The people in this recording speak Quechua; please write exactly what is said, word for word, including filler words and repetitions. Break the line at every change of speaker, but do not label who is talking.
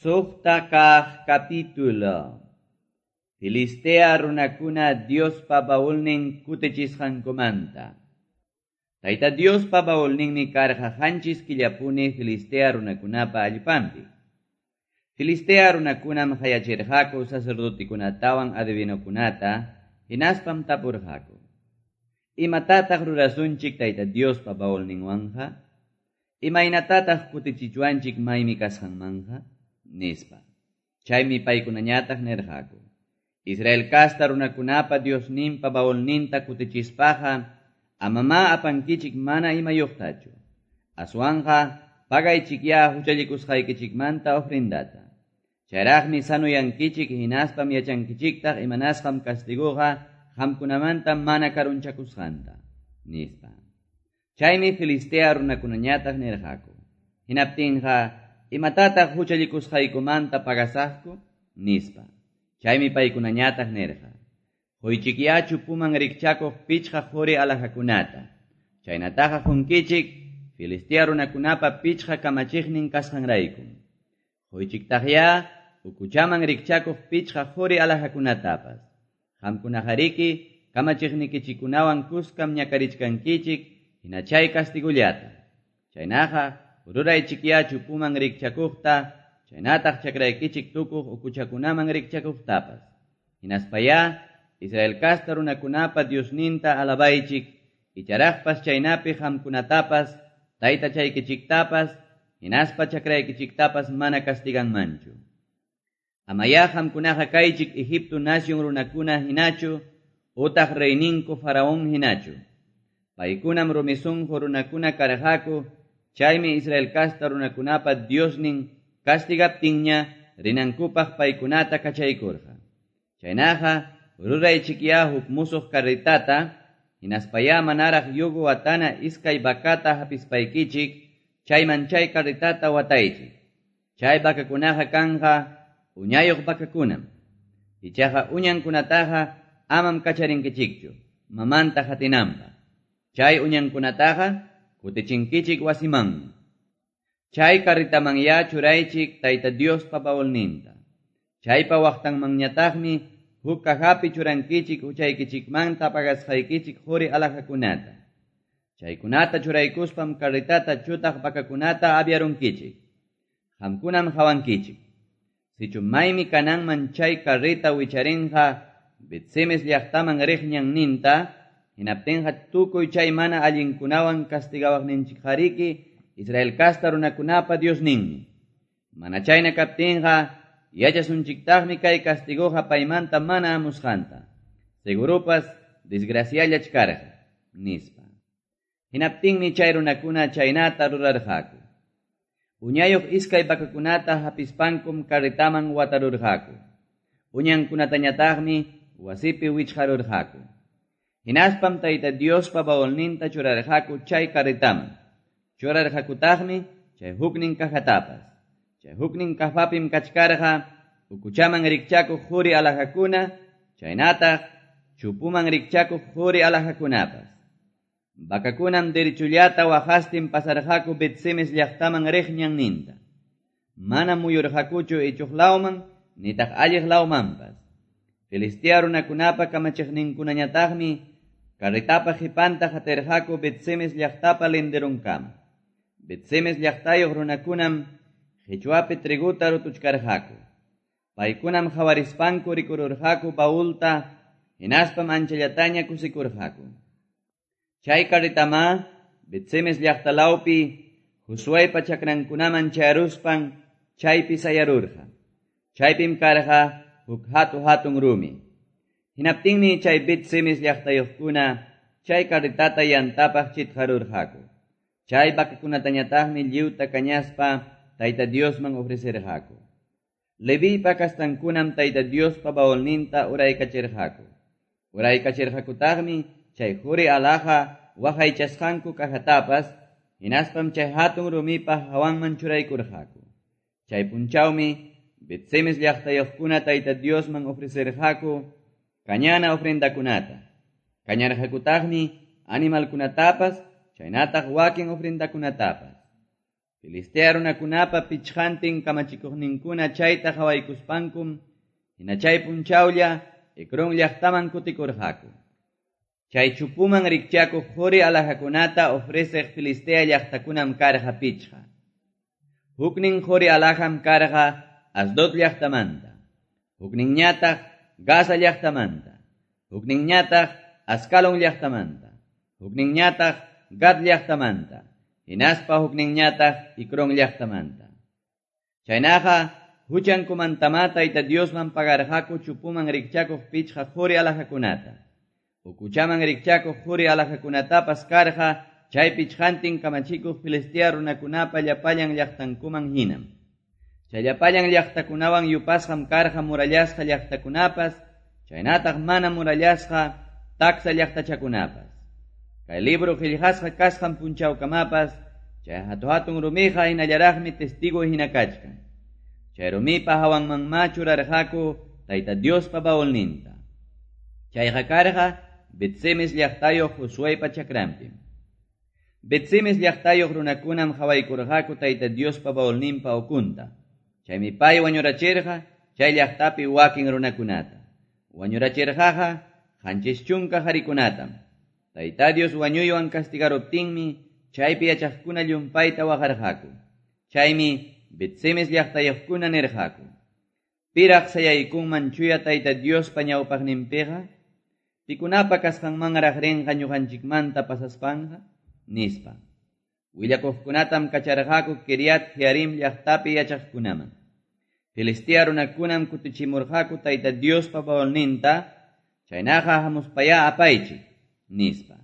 Suqta kaq capítulo. Filistea runakuna Diospa baulnin kutichisqankumanta. Tayta Diospa baulninmi karqa qanchis killapuni Filistea runakunapa allpanpi. Filistea runakunam qayachirqaku sacerdotikunatawan adivinokunata, hinaspam tapurqaku: Imatataq rurasunchik Tayta Diospa baulninwanqa? Imaynatataq kutichichwanchik maymi kasqanmanqa? Nispa. Chaymi paykunañataq nirqaku: Israel kasta runakunapa Diosninpa baulninta kutichispaqa amama apankichik mana imayuqtachu. Aswanqa pagaychikya huchallikusqaykichikmanta ofrendata. Chayraqmi sanuyankichik hinaspam yachankichiktaq imanasqam castiguqa qamkunamanta mana karunchakusqanta, nispa. Chaymi Filistea runakunañataq nirqaku: Hinaptinqa imatataq huchallikusqaykumanta pagasaqku? Nispa. Chaymi paykunañataq nirqa: Quychikya chupuman rikchakuq pichqa quri alhajakunata. Chaynataqa qunkichik Filistea runakunapa pichqa kamachiqnin kasqanraykum. Quychiktaqya ukuchaman rikchakuq pichqa quri alhajakunatapas. Qamkunaqariki kamachiqnikichikunawan kuskam ñakarichkankichik hina chay castigullata. Chaynaqa ruraychikya chupuman rikchakuqta, chaynataq chakraykichik tukuq ukuchakunaman rikchakuqtapas. Hinaspaya Israel kasta runakunapa Diosninta alabaychik, icharaqpas chaynapi qamkunatapas, taytachaykichiktapas, hinaspa chakraykichiktapas mana castiganmanchu. Amaya qamkunaqa kaychik Egipto nación runakuna hinachu, utaq reyninku faraón hinachu. Paykunam rumisunqu runakuna karqaku, chaymi Israel kasta runakunapa Diosnin castigaptinña rinankupaq paykunata kachaykurqa. Chaynaqa ruraychikya huk musuq carretata, hinaspaya manaraq yugo watana iskay vacata hapispaykichik, chayman chay carretata wataychik. Chay vacakunaqa kanqa uñayuq vacakunam. Ichaqa uñankunataqa amam kacharinkichikchu, mamanta hatinanpaq. Chay uñankunataqa kutichinkichik wasimanmi. Chay carretamanya churaychik Tayta Diospa baulninta. Chaypa waqtanmanñataqmi huk cajapi churankichik huchaykichikmanta pagasqaykichik quri alhajakunata. Chaykunata churaykuspam carretata chutaq vacakunata aviarunkichik. Qamkunam hawankichik. Sichu maymi kananman chay carreta wicharinqa Bet-semes llaqtaman riq ñanninta, hinaptinqa tukuy chay mana allinkunawan castigawaqninchikqariki Israel kasta runakunapa Diosninmi. Mana chayna kaptinqa yachasunchiktaqmi kay castiguqa paymanta mana amusqanta. Segurupas desgraciallach karqa, nispa. Hinaptinmi chay runakuna chaynata rurarqaku. Uñayuq iskay vacakunata hapispankum carretaman watarurqaku. Uñankunatañataqmi wasipi wichqarurqaku. Hinaspam Tayta Diospa baulninta churarqaku chay carretaman. Churarqakutaqmi chay huknin cajatapas. Chay huknin cajapim kachkarqa ukuchaman rikchakuq quri alhajakuna, chaynataq chupuman rikchakuq quri alhajakunapas. Vacakunam derechullata waqastin pasarqaku Bet-semes llaqtaman riq ñanninta. Mana muyurqakuchu ichuq lawman nitaq alliq lawmanpas. Filistea runakunapa kamachiqninkunañataqmi carretapa qhipanta qatirqaku Bet-semes llaqtapa linderunkama. Bet-semes llaqtayuq runakunam qichwapi triguta rutuchkarqaku. Paykunam hawarispanku rikururqaku baulta, hinaspam anchallataña kusikurqaku. Chay carretama Bet-semes llaqtalawpi Josuepa chakrankunaman chayaruspan chaypi sayarurqa. Chaypim karqa huk hatu hatun rumi. Hinaptinmi chay Bet-semes llaqtayuqkuna chay carretata yantapaq chitqarurqaku. Chay vacakunatañataqmi lliwta kañaspa Tayta Diosman ofrecerqaku. Levipa kastankunam Tayta Diospa baulninta uraykachirqaku. Uraykachirqakutaqmi chay quri alhaja waqaychasqanku cajatapas, hinaspam chay hatun rumipa hawanman churaykurqaku. Chay punchawmi Bet-semes llaqtayuqkuna Tayta Diosman ofrecerqaku kañana ofrendakunata. Kañarqakutaqmi animalkunatapas, chaynataq wakin ofrendakunatapas. Filistea runakunapa pichqantin kamachikuqninkuna chayta qawaykuspankum, hina chay punchawlla Ecrón llaqtaman kutikurqaku. Chay chupuman rikchakuq quri alhajakunata ofreceq Filistea llaqtakunam karqa pichqa. Huknin quri alhajam karqa Asdod llaqtamanta, hukninñataq Gaza llaqtamanta, hukninñataq Ascalon llaqtamanta, hukninñataq Gat llaqtamanta, hinaspa hukninñataq Ecrón llaqtamanta. Chaynaqa huchankumantama Tayta Diosman pagarqaku chupuman rikchakuq pichqa quri alhajakunata. Ukuchaman rikchakuq quri alhajakunatapas karqa chay pichqantin kamachikuq Filistea runakunapa llapallan llaqtankuman hinam. Chay llapallan llaqtakunawan yupasqam karqa murallasqa llaqtakunapas, chaynataq mana murallasqa taksa llaqtachakunapas. Kay libro qillqasqa kasqan punchawkamapas, chay hatu-hatun rumiqa hinallaraqmi testigo hina kachkan. Chay rumipa hawanmanmá churarqaku Tayta Diospa baulninta. Chayqa karqa Bet-semes llaqtayuq Josueypa chakranpim. Bet-semes llaqtayuq runakunam qawaykurqaku Tayta Diospa baulninpa ukunta. Chaymi pay wañurachirqa chay llaqtapi wakin runakunata. Wañurachirqaqa qanchis chunka qarikunatam. Tayta Dios wañuywan castigaruptinmi chaypi yachaqkuna llumpayta waqarqaku. Chaymi Bet-semes llaqtayuqkuna nirqaku: Piraq sayaykunman chuya Tayta Diospa ñawpaqninpiqa? Pikunapa kasqanmanraq rinqa ñuqanchikmanta pasaspanqa? Nispa. Willakuqkunatam kacharqaku Kiriat Jearim llaqtapi yachaqkunaman. Filistea runakunam kutichimurqaku Tayta Diospa baulninta, chaynaqa hamuspayá apaychik, nispa.